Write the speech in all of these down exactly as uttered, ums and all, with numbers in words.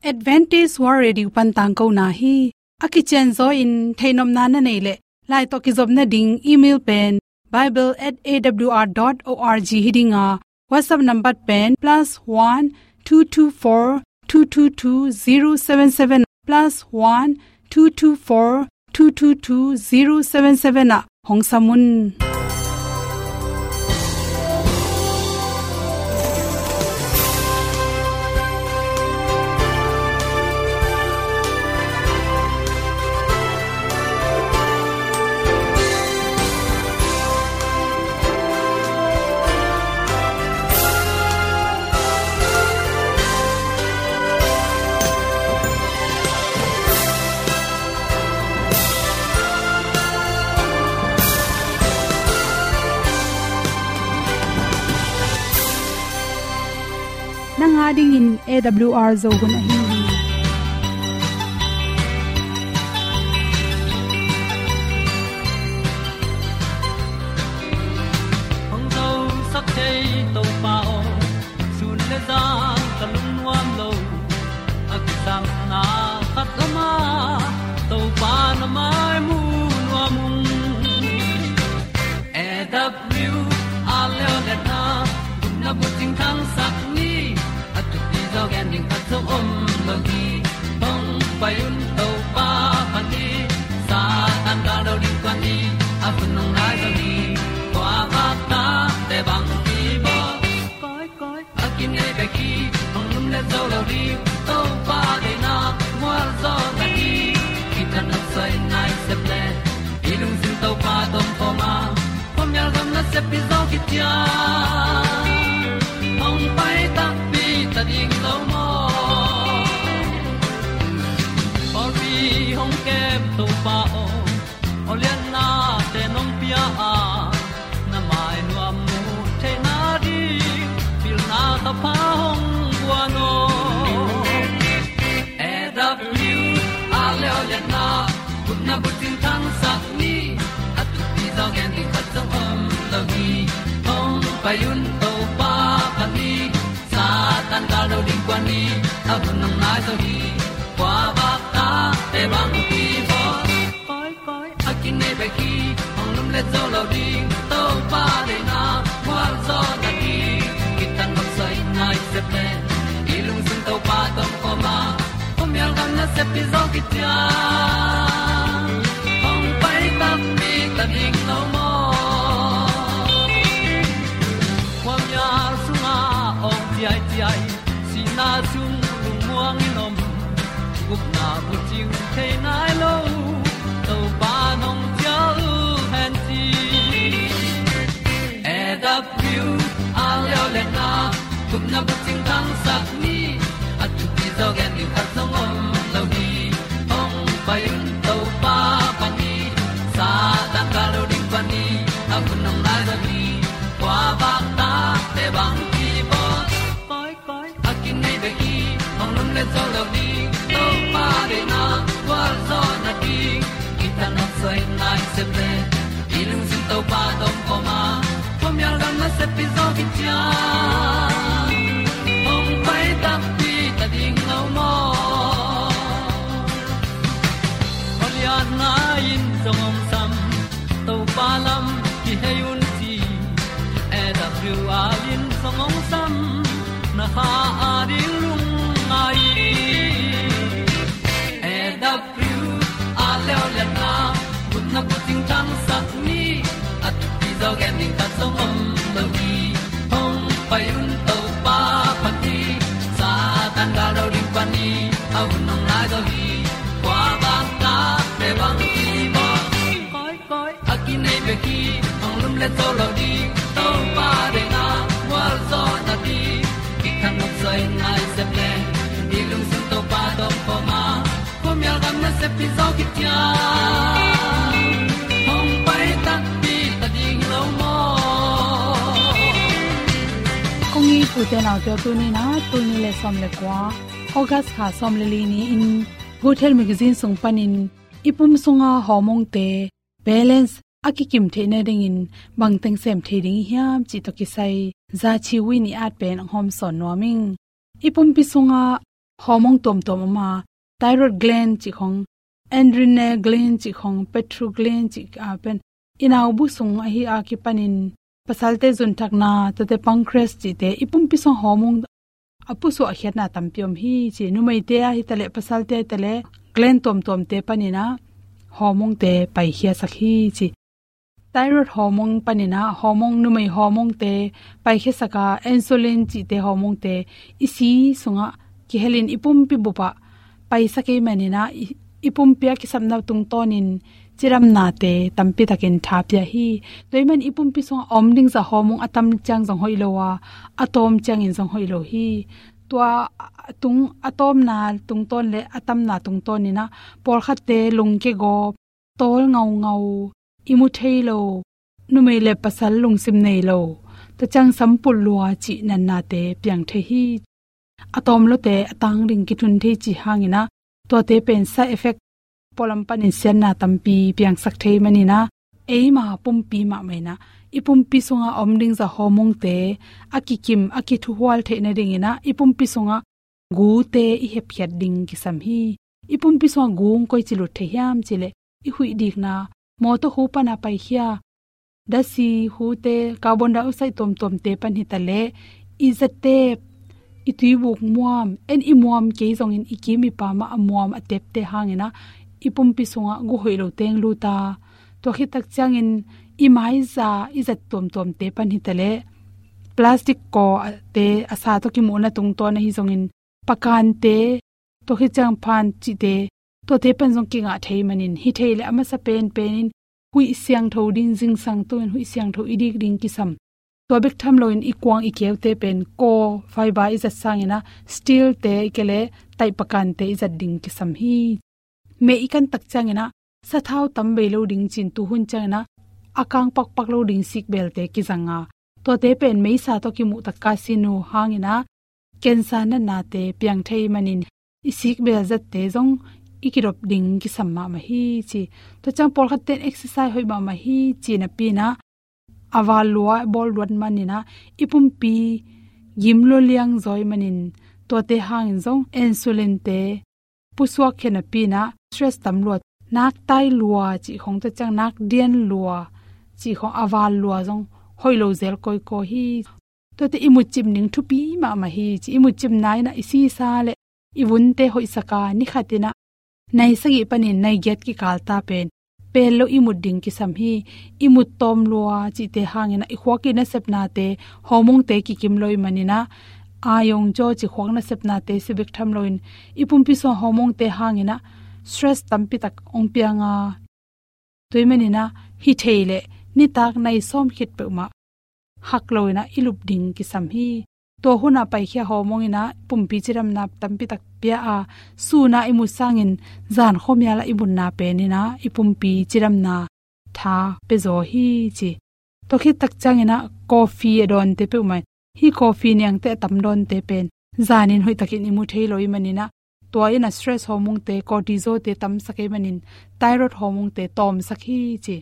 Adventist World Radio pan tangkona hi. A kicianzaw in theihnopna na neih leh, lai tawh kizopna ding email pen bible at A W R dot org hi ding a, WhatsApp number pen plus one two two four two two two zero seven seven, plus one two two four two two two zero seven seven ah hong sam un. Nang a dingin A W R Zo hun ahi hi. Hong zosak thei Topa aw, sun le zan ka lungnuam lo. A kisapna khat om a, Topa na mai mu nuam ung. A W R leo le na, gupna bucing thangsak ni. A thupi zaw gen ding khat zong om lo hi. Hong pai un Topa pan ni, Satan gal do ding kua ni. A hun hong nai zaw ni, kua vak ta te bang ki bawl. Koi, koi, a kinei bek hi, hong lum le zo lo ding, Topa deihna mual zaw na hi. Kitan nok soi nai sep le, i lungsim Topa tawh om khawm a, khuamial gam nasep pi zaw khit ciang, hong pai takpi ta ding lo maw? Pawlpi hong kem Topa aw, aw liannate nong pia a, na mai nuam mu theihna ding, pilna thapha hong guan aw. A W R leo le na, gupna bucing thangsak ni. A thupi zaw gen ding khat zong om lo hi. Hong pai un Topa pan ni, Satan gal do ding kua ni. A hun hong nai zaw hi, kua vak ta te bang ki bawl. Koi, koi, a kinei bek hi, hong lum le zo lo ding, Topa deihna mual zaw na hi. Kitan nok soi nai sep le, i lungsim Topa tawh om khawm a, khuamial gam nasep pi zaw khit ciang, hong pai takpi ta ding lo maw? Khuamial sungah awng ciaiciai, sihna sung lungmuang in om, gupna bucing thei nai lo, Topa nong cial hen ci. A W R leo le na, gupna bucing thangsak ni. A thupi zaw gen ding khat zong om lo hi. Hong pai un Topa pan ni, Satan gal do ding pan ni. A hun hong nai zaw hi, kua vak ta te bang ki bawl. Koi, koi, a kinei bek hi, hong lum le zo lo ding, Topa deihna gualzawhna ding. Kitan nok soi nai sep le, i lungsim Topa tawh om khawm a, khuamial gam nasep pi zaw khit ciang, hong pai takpi ta ding lo maw? Aw lianna in zong hong sam, Topa lam kihei un ci. A W R in zong hong sam, na kha a ding lungngai. A W R leo lianna, gupna bucing thangsak ni. A thupi zaw gen ding khat zong om lo hi. Hong pai un Topa pan ni, Satan gal do ding pan ni. A hun hong nai zaw hi, kua vak ta te bang ki bawl. Koi, koi, a kinei bek hi, hong lum le zo lo ding, Topa deihna gualzawhna ding. Kitan nok soi nai sep le, i lungsim Topa tawh om khawm a, khuamial gam nasep pi zaw khit ciang, hong pai takpi ta ding lo maw? Kong it u te nau te, tuni in ah, tul nih le sawm le kua, August kha sawm le li ni-in, Good Health Magazine sung panin, i pum sunga hormone-te balance a kikim theih nadingin bangteng sem thei ding i hiam cih tawh kisai, Za Chi Win i at pen hong hawmsawn nuam ing. I pumpi sunga hormone tuamtuam om a, thyroid gland cih khong, adrenal gland cih khong, pituitary gland cih a pen i naubu sung ahi a kipanin pasalte zunthakna, tuate pancreas cihte, i pumpi sung hormone a pusuah khiatna tampi om hi ci. Numeite a hitaleh, pasalte a hitaleh, gland tuamtuamte panin ah hormonete paikhiasak hi ci. Thyroid hormone panin ah hormone, numei hormonete paikhiasak a, insulin cihte hormonete i si sungah kihelin i pumpi bupah paisak ei manin ah i, i pumpi a kisapna tungtawnin cidamnate tampi takin tha pia hi. Tua ahih manin i pumpi sungah a om ding zah hormone a tam ciang zong hoih lo a, a tawm ciangin zong hoih lo hi. Tua a tung, a tawmna tungtawn le a tamna tungtawnin ah pawlkhatte lungkia gawp, tawl ngaungau, i mu thei lo, numei le pasal lungsim nei lo, tua ciang sampulh lua cih natnate piang thei hi. A tawm lote a tang ding kithun thei cih hangin ah, tuate pen side effect, pualam panin siatna tampi piangsak thei manin ah, eima pumpi mahmah in ah, i pumpi sungah a om ding zah hormonete a kikim, a kithuhual theih nadingin ah, i pumpi sungah gute i hepkhiat ding kisam hi. I pumpi sungah gu hong koici lut thei hiam cih leh, i huih dikna, mawtaw hu pan a paikhia, dasi hute, carbon dioxide tuamtuamte pan hitaleh, i zatep, i tuibuk muam, en i muam kei zongin i kim i pam ah a muam a tepte hangin ah, i pumpi sungah gu hoih lo teng lut a, tua khit tak ciangin i maiza, i zat tuamtuamte pan hitaleh, plastic kawte, a sa tawh kimuhna tungtawn ahi zongin, pakante, tua khit ciang phan cihte, tuate pan zong kingah thei manin, hi thei leh a masa penpen in huih siangtho ding, zingsang tungin huih siangtho i dik ding kisam. Tua bek tham loin i kuang i keute pen kaw, fiber i zat sangin ah, steelte, ahih kei leh taih pakante i zat ding kisam hi. Meh i kan tak ciangin ah, sathau tam bei lo ding ci-in tu hun ciangin ah, a kang pakpak lo ding sikbelte kizang a, tuate pen meisa tawh kimuh tak, carcino hangin ah, cancer natnate piang thei manin, i sikbel zatte zong i kidop ding kisam mahmah hi ci. Tua ciang pawlkhatte in exercise hoih mahmah hi ci napi-in ah, a val lua bawl luat manin ah, i pumpi gim lua liang zaw ahih manin, tuate hangin zong insulinte pusuak khia napi-in ah, stress tam lua, nak tai lua cih khong, tua ciang nak dian lua cih khong, a val lua zong hoih lo zel kawikawi hi. Tuate i mutcip ding thupi mahmah hi ci. I mutcipna in ah i sisa leh i vunte hoihsak a, ni khatin ah nai sagih panin nai giat kikal ta pen, pel lo i mut ding kisam hi. I mut tawm lua cihte hangin ah, i khuak i nasepnate, hormonete kikim lo ahih manin ah, iron, jaw cih khuak nasepnate si bek tham loin, i pumpi sung hormonete hangin ah, stress tampi tak hong piang a, tua ahih manin ah, hi thei leh nitak nai sawm khit peuhmah hak loin ah i lup ding kisam hi. Tua hun a paikhia hormone in ah pumpi cidamna tampi tak pia a, sun a i mut sangin zan khuamial a i mutna pen in ah i pumpi cidamna tha pia zaw hi ci. Tua khit tak ciangin ah coffee a dawnte peuhmah, hih coffee niangte a tam dawnte pen zanin hoihtakin i mu thei lo ahih manin ah, tua in ah stress hormonete, cortisolte tamsak ahih manin, thyroid hormonete tawmsak hi ci.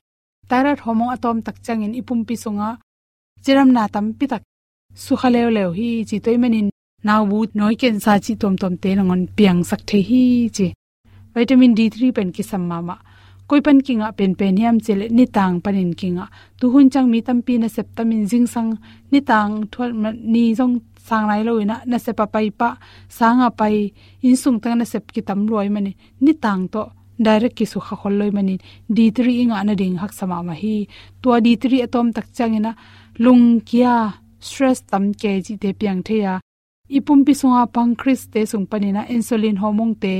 Thyroid hormone a tawm tak ciangin i pumpi sungah cidamna tampi tak sukha leuleu hi ci. Tua ahih manin, naubu nawi cancer cih tuamtuamte nangawn piangsak thei hi ci. Vitamin D three pen kisam mahmah. Koi pan kingah penpen hiam cih leh nitang panin kingah. Tu hun ciang mi tampi nasep tamin, zingsang nitang thuah ni zong sang nai loin ah, nasep a pai pah, sang a pai, inn sung teng nasep kitam lua ahih manin, nitang tawh direct kisukha khol lo ahih manin, D three i ngah nading haksa mahmah hi. Tua D three a tawm tak ciangin ah, lungkia, stress tam kei cihte piang thei a, i pumpi sunga pancreas-te sung panin ah insulin hormone-te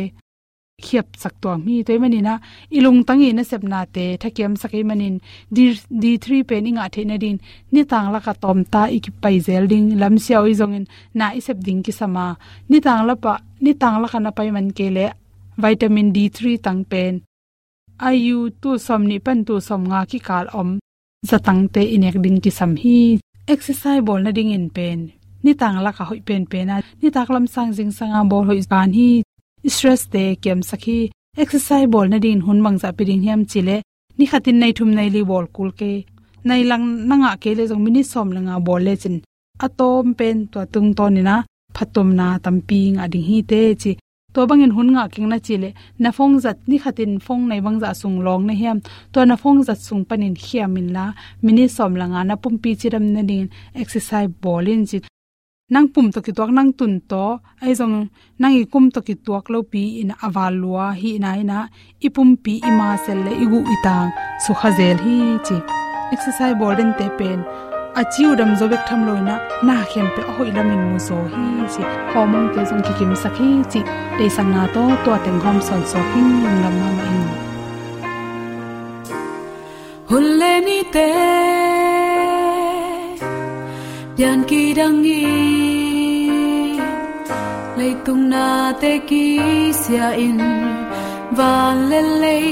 khiapsak tuam hi. Tua ahih manin ah, i lungtang i nasepnate thakiamsak ahih manin, D, D three pen i ngah theih nading, nitang laka tawmta i kipai zel ding, lamsia uh i zongin na i sep ding kisam a, nitang lapa, nitang laka na pai man kei leh, vitamin D three tang pen, I U tul sawmnih pan tul sawmnga kikal om zatangte i nek ding kisam hi. Exercise bawl nadingin pen, nitang laka hoih penpen a, nitak lamsang zingsanga bawl hoih pan hi. Stress-te kiamsak hi. Exercise bawl nadingin hun bangzah pia ding hiam cih leh, ni khatin nai thum nai li bawl kul kei. Nai lang na ngah kei leh zong minute sawm le nga bawl lecin, a tawm pen tua tungtawnin ah, phattuamna tampi ngah ding hi teh ci. Tua bangin hun ngah keng na cih leh na phone zat, ni khatin phone nei bangzah sung lawng na hiam, tua na phone zat sung panin khiam inla, minute sawm le nga na pumpi cidam nadingin exercise bawl in ci. Nang pum tawh kituak, nang tun tawh, ahi zong nang i kum tawh kituak lopi in a val lua hi na in a, i pumpi, i muscle le i guh i tang sukha zel hi ci. Exercise bawl dente pen a ci uh dam zaw bek tham lo in a, na khempeuh a hoih lamin mu zaw hi ci. Hormone te zong kikimsak hi ci. Deihsakna tawh tua teng hawm sawnsawn hi, lungdam mahmah ing. Hun le nite pian kidang in, leitung nate kisia in, van le lei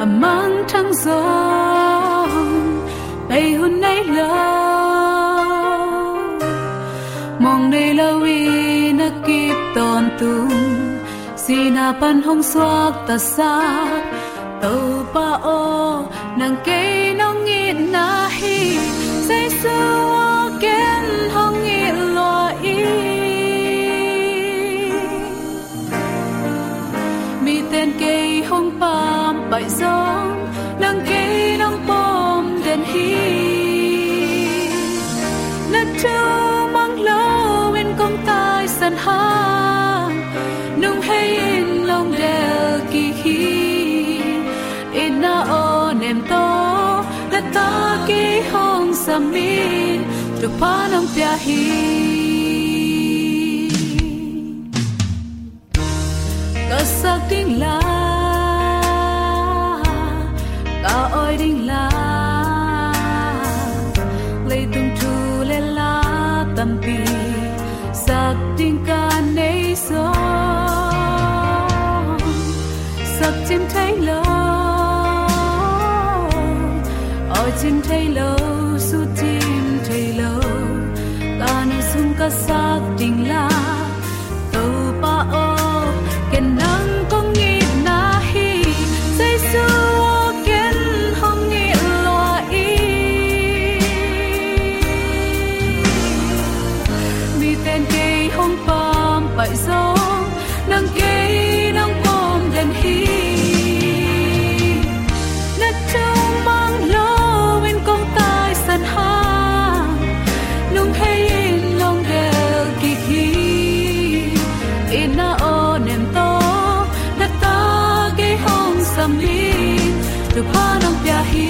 a mangthang zong bei hun nei lo, mawng nei lo in a kip tawntung, sihna pan hong suaktasak Topa aw, nang kei nong itna hi. Jesu aw, ken hong it lua ing. Miten kei hong pampaih zong, nang kei nong pom den hi. Na thu mang lo in kong taisan hang, nung hei in long del kik hi. Itna aw nem tawh na ta kei hong sam in, thupha nong pia hi. Ka sak ding la, ka awi ding la, leitung thu le la tampi sak ding ka nei zong, sak cim thei lo, awi cim thei lo, sut cim thei lo, ka nu sung ka sak ding la. Topa aw, ken nang kong itna hi. Jesu aw, ken hong it lua ing. Miten kei hong pampaih zong, nang kei nong pom den hi. Na thu mang lo in kong taisan hang, nung hei in long del kik hi. Itna aw nem tawh na ta kei hong sam in, thupha nong pia hi.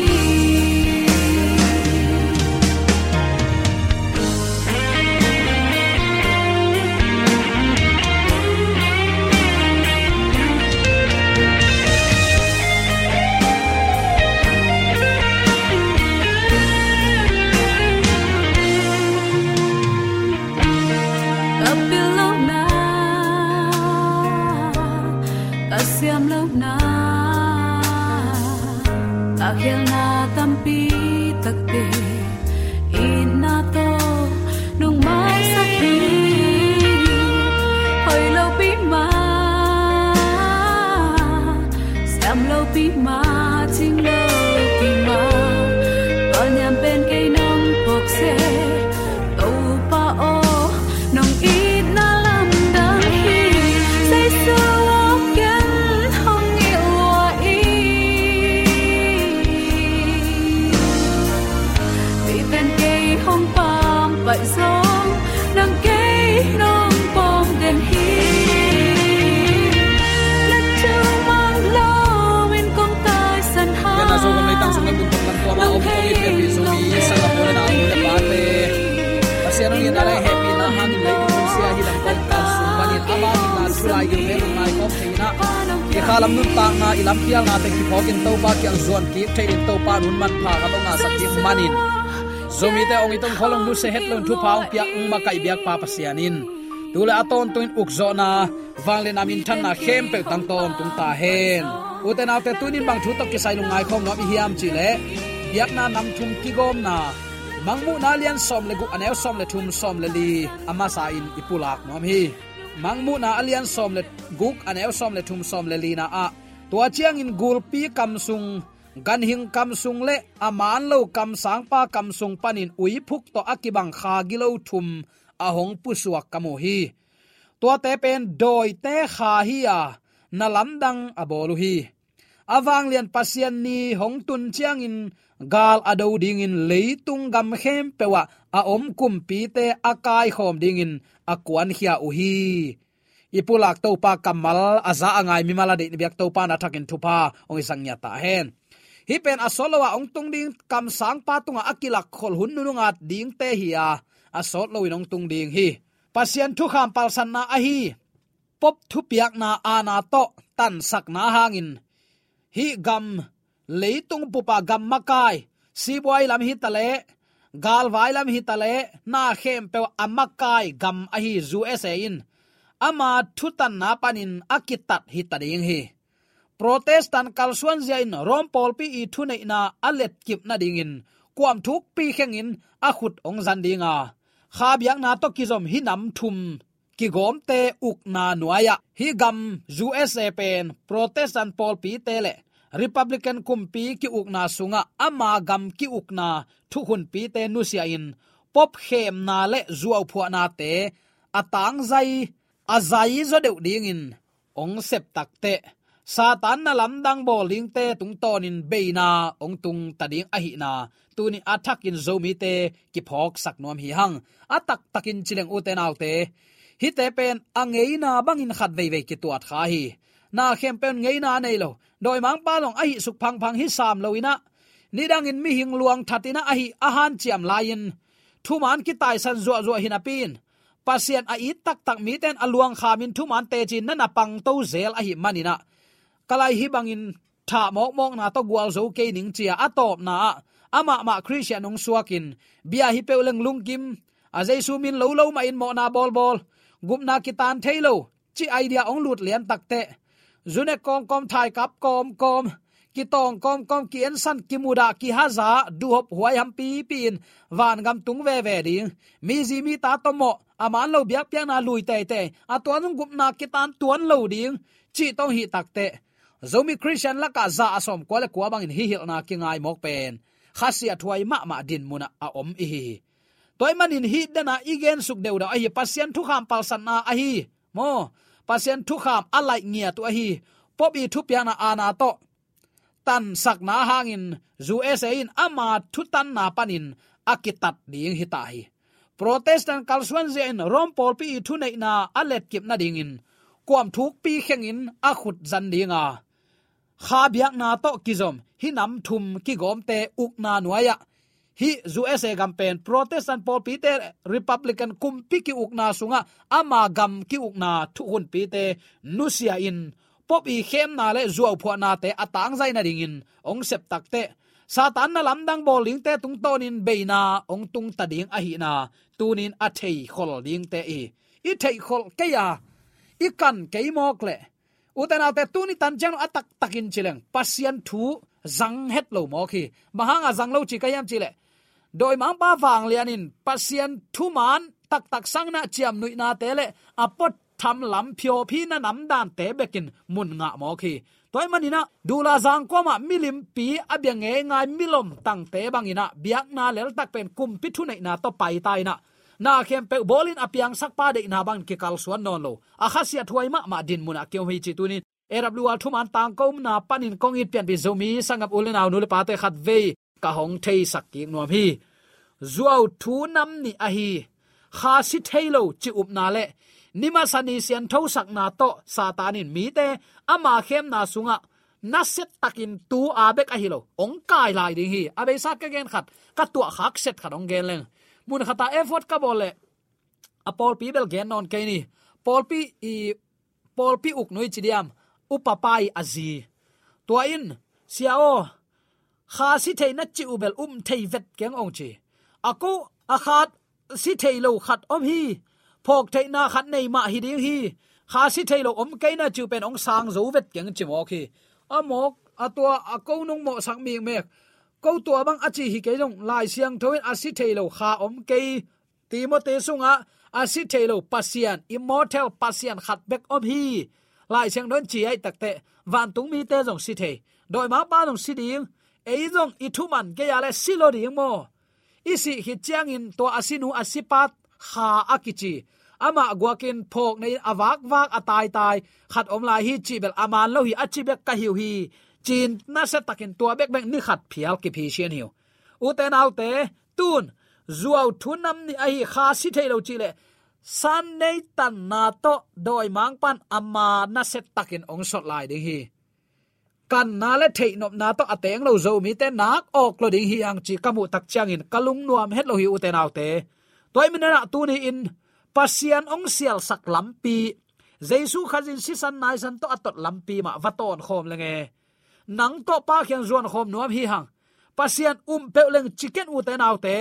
Ka pil lohna, ka siam lohna, ka khialna tampi takte, itna tawh nong maisak hi. Hoih lopi mah, siam lopi mah, cing lopi mah, paniam pen kei nong phawk seh. Topa aw, nong itna lamdang hi. Jesu aw, ken hong it lua ing. Miten kei hong pampaih zong, nang kei nong pom den hi. Na thu mang lo in kong taisan hang. Ken a Zogam leitang sung le mun tawh kan tuam a om kong it peuh hi Zomi Sanggamte le a nu le pate. Pasian hong itna le hehpihna hangin leitung hong sia hi lam kong kal sung panin amau itna thu lai gil mel hong ngai kawm thei in a, i kha lam nuntakna, i lam pialnate kiphawkin Topa kiang zuan kik thei in Topa in hun manpha khat hong ngahsak ding manin, Zomite hong it hong khol hong nusia het loin thupha hong piak hong makaih biakpa Pasian in tu le a tawntungin ukzawhna, vangliatna, minthanna khempeuh tang tawntung ta hen. Ute naute, tuni in bang thu tawh kisai lungngai khawm nuam i hiam cih leh, biakna nam thum kigawmna, Mangmuhna a lian sawm le guk, a neu sawm le thum, sawm le li a masa in i pulak nuam hi. Mangmuhna a lian sawm le guk, a neu sawm le thum, sawm le lina ah, tua ciangin gulpi kam sung, ganhing kam sung le a man lo kamsangpa kam sung panin uiphuk tawh a kibang kha gilo thum a hong pusuak ka mu hi. Tuate pen dawite kha hi a, na lamdang a bawl uh hi. A vanglian Pasian ni hong tun ciangin gal a do dingin leitung gam khempeuh ah a om kumpite a kaikhawm dingin a kuankhia uh hi. I pulak Topa kammal a za a ngai mimal a deih na biak Topa na thakin thupha hong i sak ngiat ta hen. Hih pen a sawt lo a hong tung ding kamsangpa tungah a kilakkhol hun nunung at dingte hi a, a sawt loin hong tung ding hi. Pasian thukham palsatna ahi Pope thupiakna aana tawh tansakna hangin hih gam leitung bupa gam makai, sibuai lam hi taleh, galvai lam hi taleh, na khempeuh a makai gam ahi U S A in ama thutanna panin a kitat hi ta ding hi. Protestant kalsuanzia in Rome pawlpi i thuneihna a letkip nadingin kuam thukpi khengin a khut hong zan ding a, kha biakna tawh kizom hih nam thum kigawmte ukna nuai-ah hih gam U S A pen Protestant pawlpite le Republican kumpi ki-ukna sungah ama gam ki-ukna thukhunpite nusia in Pope khemna le zuauphuahnate a tangzai a zaizaw deuh dingin hong sep takteh Satan na lamdang bawl dingte tungtawnin beina hong tung ta ding ahihna tuni a thakin Zomite kiphawksak nuam hi hang. A taktakin ci leng ute naute, hihte pen a ngeina bangin khat veivei kituat kha hi. Na khempeuh ngeina nei lo, dawimangpa zong a hih suk phangphang hi sam lo inah, nidangin mihing luang that inah a hih a hanciam lai-in thuman kitaisan zuahzuah hi napi-in Pasian a it taktak mite in a luang khamin thuman teci na na pangto zel ahih maninah, ka lai hih bangin thah mawkmawkna tawh gualzo kei ning ci-a a tawpna-ah amahmah Khristian hong suakin bia hi peuh leng lungkim, a Jesu min lo lo mahin mawhna bawlbawl, gupna kitan thei lo cih idea hong lut lian takteh, zu nek kawmkawm, thaikap kawmkawm, kitawng kawmkawm, ki-ensan, kimudah, kihaza, duhhop huai hampipi-in vangam tung veve ding, mi zi mi ta tawh mawh, a man lo biakpiakna lui teitei, a tuan zong gupna kitan tuan lo ding cih tawh hih takteh, Zomi Khristian lakah za a sawmkua le kua bangin hih hilhna kingai mawk pen khasiathuai mahmah dinmunah a om i hi hi. Tua ahih manin hih dana i gensuk deudau ahi Pasian thukham palsatna ahi maw, Pasian thukham a laih ngiat uh ahi Pope i thupiakna aana tawh tansakna hangin U S A in ama thutanna panin a kitat ding hi ta hi. Protestant kalsuanzia in Rome pawlpi i thuneihna a letkip nadingin kuam thukpi khengin a khut zan ding a, kha biakna tawh kizom hih nam thum kigawmte ukna nuai-ah hih U S A gam pen Protestant pawlpite Republican kumpi ki-ukna sungah ama gam ki-ukna thukhunpite nusia in Pope i khemna le zuauphuahnate a tangzai nadingin hong sep takteh, Satan na lamdang bawl dingte tungtawnin beina hong tung ta ding ahihna tunin a theikhol dingte i, i theikhol kei a, i kan kei mawk leh, ute naute, tuni tan ciang a taktakin ci leng Pasian thu zang het lo mawk hi. Bang hanga zang lo ci ka hiam cih leh, dawimangpa vanglian in Pasian thuman taktak sangnah ciamnuihnate le a puatham lam phiawphi na namdante bekin mun ngah mawk hi. Tua ahih maninah dula zangkuamah milimpi a bia ngeingai milom tangte banginah biakna leltak pen kumpi thuneihna tawh paita inah, na khempeuh bawlin a piangsakpa deihna bangin kikalsuan nawn lo, a khasiathuai mahmah dinmunah kiom hi cih tunin A W R thuman tangkona panin kong it pianpih Zomi sanggam u le nau, nu le pate khatvei ka hong theisak kik nuam hi. Zuau thu nam nih ahi kha si thei lo ci upna le ni masa ni sianthosakna tawh Satan in mite ama khemna sungah nasia takin tu a bek ahi lo hong kai lai ding hi. A beisa ka gen khat, ka tuahkhak set khat hong gen leng. Mun khata effort ka bawl leh a pawlpi bel gen nawn kei ni. Pawlpi i, pawlpi uknui ci diam, upa pa i a zi. Tua in, "Sia aw, kha si thei na ci uh bel um thei vet keng," ong ci. "A ko a khat si thei lo khat om hi. Phawk theihna khat nei mah hi ding hi. Kha si thei lo om kei na ci uh pen ong sang zo vet keng," ci mawk hi. A mawk, a tua, a ko nung mawhsak mikmek. Ko tua bang a ci hi kei zong, Lai Siangtho in a si thei lo kha om kei. Timoti sungah a si thei lo Pasian, immortal Pasian khat bek om hi. Lai Siangtho in ci ahih takteh, vantung mite zong si thei. Dawimangpa zong si ding. Ei zong i thuman kei a le si lo ding maw? I sih khit ciangin tua a sinu a sipa kha a kici, amah guakin phawk nei in a vakvak a taitai khat om lai hi cih bel a man lo hi, a ci bek ka hi uh hi, ci-in nasia takin tua bekbek ni khat phial kiphisian hi uh. Ute naute, tun zuau thu nam nih ahi kha si thei lo cih leh Sunday tanna tawh dawimangpa'n ama nasia takin hong sot lai ding hi. Kanna le theihnopna tawh a teng lo Zomite nak awk lo ding hi hang ci ka muh tak ciangin ka lungnuam het lo hi, ute naute. Tua ahih manin ah tuni-in Pasian hong sialsak lampi, Jesu Khazin sisan naisan tawh a tot lampi mah va tawnkhawm leng e, nang tawh Pa kiang zuankhawm nuam hi hang. Pasian um peuh leng ci ken, ute naute.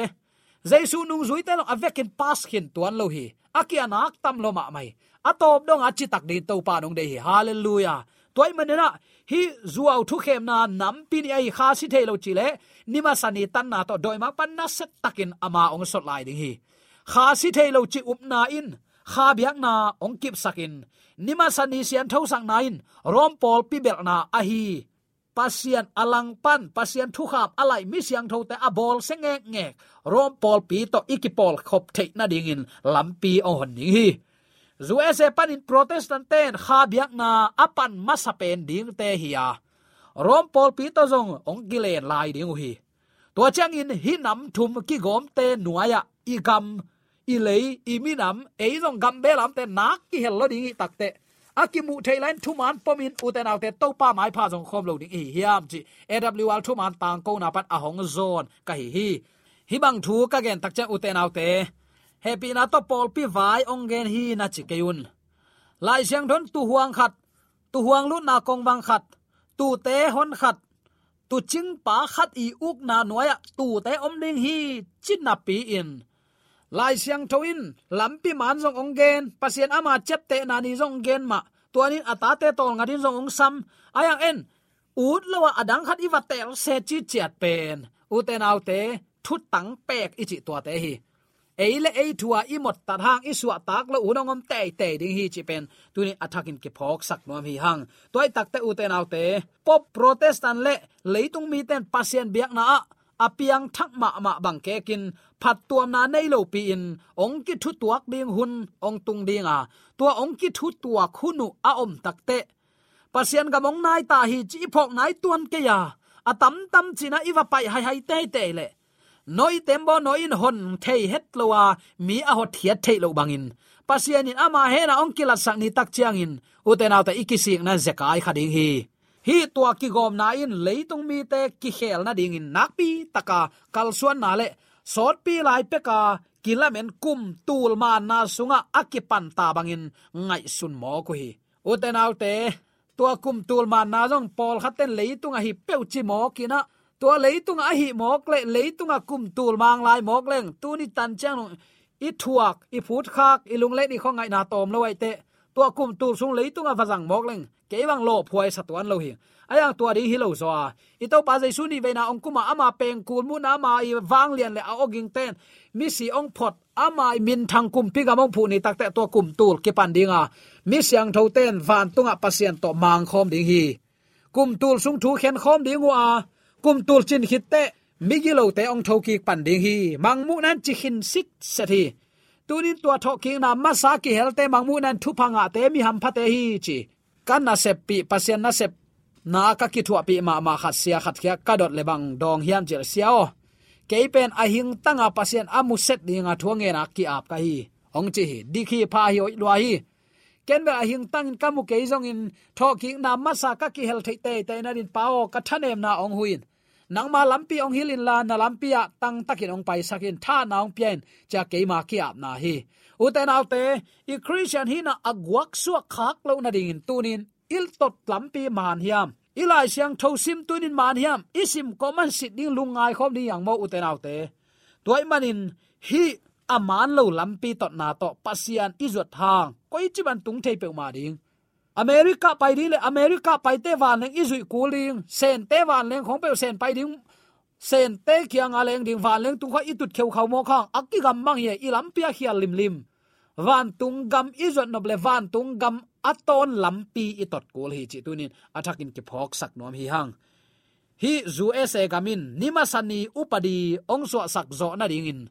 Jesu nungzuite zong a vekin pass khin tuan lo hi. A kia nak tam lo mahmah hi. A tawp dong a citak dingin Topa in hong deih hi. Halleluiah. Tua ahih manin ah hih zuau thukhemna nampi nih ahi kha si thei lo cih leh ni masa ni tanna tawh dawimangpa'n nasia takin ama hong sot lai ding hi. Kha si thei lo cih upna in kha biakna hong kipsakin, ni masa ni sianthosakna in Rom pawlpi belhna ahi Pasian a langpan, Pasian thukham a laih mi siangthote a bawlsia ngekngek Rom pawlpi tawh i kipawlkhop theih nadingin lampi hong hon ding hi. U S A panin Protestant-te'n kha biakna a pan masa pen dingte hi a, Rom pawlpi tawh zong hong kilen lai ding uh hi. Tua ciangin hih nam thum kigawmte nuai-ah i gam, i lei, i minam, ei zong gam belamte nak kihel lo ding i hih takteh, a kimuh theih lai-in thuman pomin, ute naute, Topa maipha zong khawm lo ding i hi hiam cih A W R thuman tangkona pan a hong zawn ka hi hi. Hih bang thu ka gen tak ciang, ute naute, hehpihna tawh pawlpi vai hong gen hi na ci kei un. Lai Siangtho in tuuhuang khat, tuuhuang lutna kongvang khat, tuute hon khat, tuucingpa khat i ukna nuai-ah tuute om ding hi ci napi-in, Lai Siangtho in lampi man zong hong gen, Pasian ama ciaptehna ni zong hong gen mah, tua ni-in a tate tawlngat in zong hong sam, a yang en, ut lo-a a dang khat i va telsiat ciciat pen, ute naute, thutang pek i cih tuate hi. Ei le ei thu-a i mottat hang i suahtak loh hun hong om teitei ding hi cih pen tuni-in a thakin kiphawksak nuam hi hang. Tua i hih takteh, ute naute, Pope, Protestant le leitung mite'n Pasian biakna-ah a piangthak mahmah bang kekin phattuamna nei lopi-in hong kithutuak ding hun hong tung ding a, tua hong kithutuak hun uh a om takteh, Pasian gam hong nai ta hi ci i phawk nai tuan kei a, a tamtam cih na i va paih haihai teitei leh, Noah tembaw Noah in hon thei het lo a, mi a hotkhiat theih loh bangin, Pasian in ama hehna hong kilatsak ni tak ciangin, ute naute, i kisikna zekai kha ding hi. Hih tua kigawmna in leitung mite kikhel nadingin nakpi taka kalsuanna le sawtpi lai peka kilamen kum tul manna sungah a kipanta bangin ngaihsun mawk uh hi. Ute naute, tua kum tul manna zong pawlkhatte'n leitung ahi peuh ci mawk in ah, tua leitung ahi mawk leh leitung a kum tul mang lai mawk leng, tuni tan ciang nung i thuak, i phutkhak, i lunglet, i khuangaihna tawm lo ahih teh, tua kum tul sung leitung a va zang mawk leng, kei bang lawphuai sa tuan lo hi. A yang tua ding hi lo zaw a, i Topa Jesu nih veina hong kum a, ama pengkul muhna, ama i vanglian le a awgingte'n misi hong phot, ama i minthang kumpi gam hong phuh ni takteh tua kum tul kipan ding a, mi siangthote'n vantungah Pasian tawh mangkhawm ding hi. Kum tul sung thu khenkhawm ding uh a, kum tul cin khit teh migilote hong thokik pan ding hi. Mangmuhna in ci khin sitset hi. Tuni-in tua thawhkikna masa kihelte, mangmuhna in thupha ngahte, mi hamphate hi ci. Ka naseppih, Pasian nasepna ka kithuahpih mahmah khat sia khat kiang ka dot leh bang dawng hiam cih leh, sia aw, kei pen a hingtanga Pasian a muset dinga thu a ngen a ki-ap ka hi, hong ci hi. Dik hi, pha hi, hoih lua hi. Ken bel a hingtangin ka mu kei zongin thawhkikna masa ka kihel theih teitei nadingin, Pa aw, ka thanemna hong huh in. Nangma lampi hong hilh inla, na lampi ah tangtakin hong paisak in, thahatna hong pia in, ci-a keima ki-apna hi. Ute naute, i Khristian hihna a guaksuak khak loh nadingin tuni-in i tot lampi man hiam? I Lai Siangtho sim tuni-in man hiam? I sim kawm man sit ding, lungngai khawm ding hi hang maw, ute naute? Tua ahih manin hih a man lo lampi totna tawh Pasian i zuat hang koici bang tung thei peuhmah ding. America pai ding leh America paite vanleng i zuih kul ding. Sente vanleng khawng peuh, Sen pai ding, Sente kianga leng ding, vanleng tung khawng i tut kheukhau mawk hang, a kigammang hi. I lampi a khial limlim. Vantung gam i zuat nop leh vantung gam a tawn lampi i tot kul hi cih tuni-in a thakin kiphawksak nuam hi hang. Hih U S A gam in ni masa ni upadi hong suahsak zawh nadingin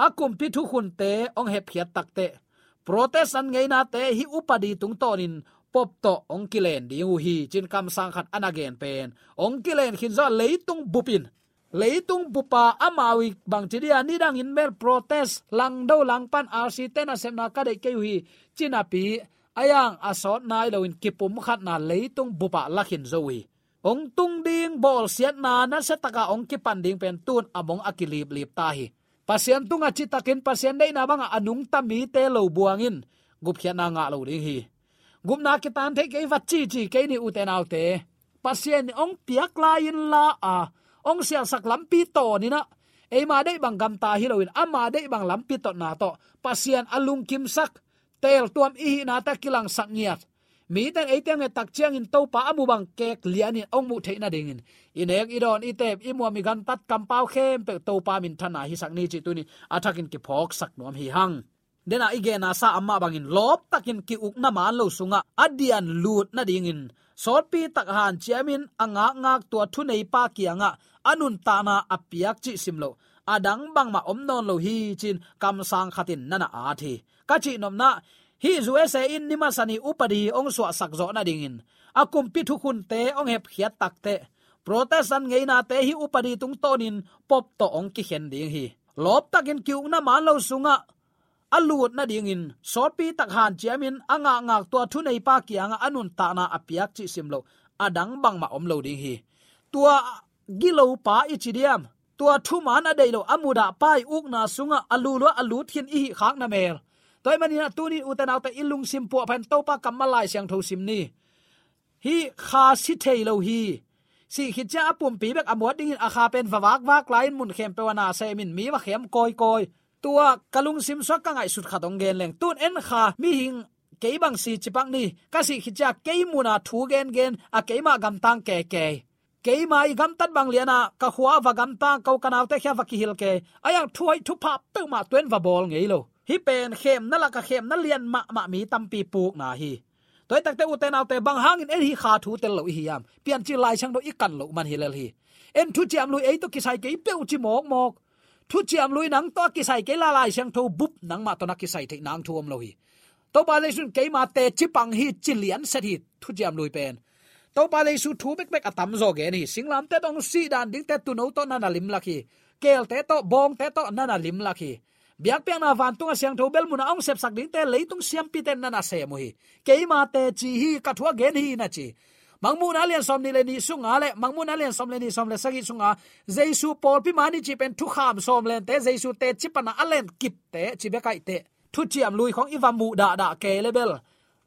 a kumpi thukhunte hong hepkhiat takteh, Protestant ngeinate hih upadi tungtawnin Pope tawh hong kilen ding uh hi, ci-in kamsang khat a na gen pen hong kilen khin zawh a, leitung bup in, leitung bup a amau i bangci dia nidangin bel Protest langdo langpan R C te nasepna ka deih kei uh hi, ci napi a yang a sawt nai loin kipumkhatna leitung bup ah la khin zo uh hi. Hong tung ding bawlsiatna nasia taka hong kipan ding pen tun a mong a kiliplip ta hi. Pasian tungah citakin Pasian deihna bangah a nungta mite lo buangin gupkhiatna ngah lo ding hi. Gupna kitan thei kei, va cici kei ni, ute naute. Pasian in hong piak lai-in la a, hong sialsak lampi tawninah, eima deih bang gamta hi loin ama deih bang lampi totna tawh Pasian a lungkimsak, teeltuam i hihnate a kilangsak ngiat, miten eite hong et tak ciangin Topa a mu bang kek lianin hong muh theih nadingin, i nek i dawn, i teep i muam, i gamtat kampau khempeuh Topa minthanna hisak ni, cih tuni a thakin kiphawksak nuam hi hang. Dena i genna sa amah bangin, lawptakin ki-ukna man lo sungah a dian lut nadingin sawtpi tak hanciamin a ngakngak tua thuneipa kiangah a nuntakna a piak cih sim loh a dang bangmah om nawn lo hi, ci-in kamsang khatin na na at hi. Ka cihnopna, hih U S A in ni masa ni upadi hong suahsak zawh nadingin a kumpi thukhunte hong hepkhiat takteh, Protestant ngeinate hih upadi tungtawnin Pope tawh hong kikhen ding hi. Lawptakin ki-ukna man lo sungah a lut nadingin sawtpi tak hanciamin a ngakngak tua thuneipa kiangah a nuntakna a piak cih sim loh a dang bangmah om lo ding hi. Tua gilopa i ci diam, tua thuman a deih lo a mudah pa i ukna sungah a lulua a lut khin i hih khak namel. Tua ahih manin ah tuni, ute naute, i lungsim puahpha in Topa kammal Lai Siangtho sim ni. Hih kha si thei lo hi. Sih khit ciang a pumpi bek a muat dingin a kha pen va vakvak lai-in mun khempeuh a na semin mi va khem kawikawi. Tua ka lungsim suak ka ngaihsut khat hong gen leng. Tun en kha, mihing, kei bang si cipak ni. Ka sih khit ciang kei muna thu gengen a, keima gamtang keke, keima i gamtat bang liana ka khua va gamtang ko, ka naute khia va kihil ke, a yang thu hoih thu pha peuhmah tuan va bawl ngei lo. Hih pen khemna laka khemna lian mahmah mi tampi pukna hi. Tua hi takte, ute naute, bang hangin en hih kha thu tel lo i hiam? Piancil Lai Siangtho i kan loh man hi lel hi. En thuciam lui ei tawh kisai kei peuh ci mawkmawk. Thuciam lui nang tawh a kisai kei la, Lai Siangtho bup nangmah tawh na kisai theih nang thu om lo hi. Topa Jesu in keima teci pang hi ci lian set hi thuciam lui pen. Topa Jesu thu bekbek a tamzaw gen hi. Singlamteh tawh hong sih dan dingte tuuno tawh na na limlak hi. Keelte tawh, bawngte tawh na na limlak hi. Biakpiakna vantung a siangtho bel munah hong sepsak dingte leitung siampite na na sem uh hi. Keima teci hi, ka thu a gen hi na ci. Mangmuhna lian sawmnih le nih sunga le Mangmuhna lian sawm le nih, sawm le sagih sunga Jesu pawlpi man hi cih pen thukham sawm lente Jesu teci pana a len kipte ci bek aih teh, thuciam lui khawng i va muh dahdah kei le bel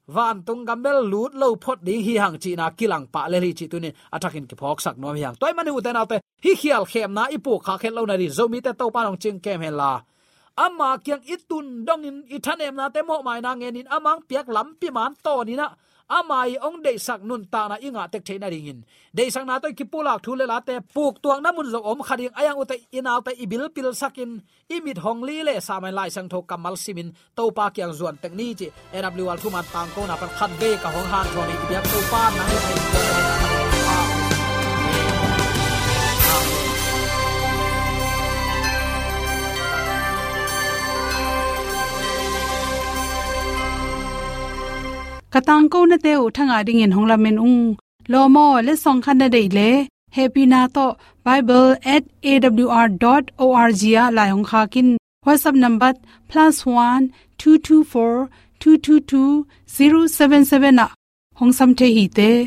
vantung gam bel lut lo phot ding hi hang cihna kilang pah lel hi cih tuni a thakin kiphawksak nuam hi hang. Tua ahih manin, ute naute, hih khial khemna i puk khak het lo nading Zomite Topa in hong cingkem henla, ama kiang i tun dongin i thanemnate mawhmaina ngenin a mang piak lampi man tawninah ama i hong deihsak nuntakna i ngah tek theih nadingin, deihsakna tawh i kipulak thu le late puktuakna mun zong om kha ding a, i ang ute i naute i bilpilsakin i mit hong li le sa mai Lai Siangtho kammal simin Topa kiang zuan tek ni cih A W R thuman tangkona pan khatvei ka hong hanthawn hi. I biak Topa nang le ka tangkonate uh thangah dingin hong lamen ung. Lawm aw, letsong khat na deih le hehpihna tawh bible at A W R dot O R G ah lai hong khak in. WhatsApp number plus one two two four two two two zero seven seven ah hong sam thei hi te.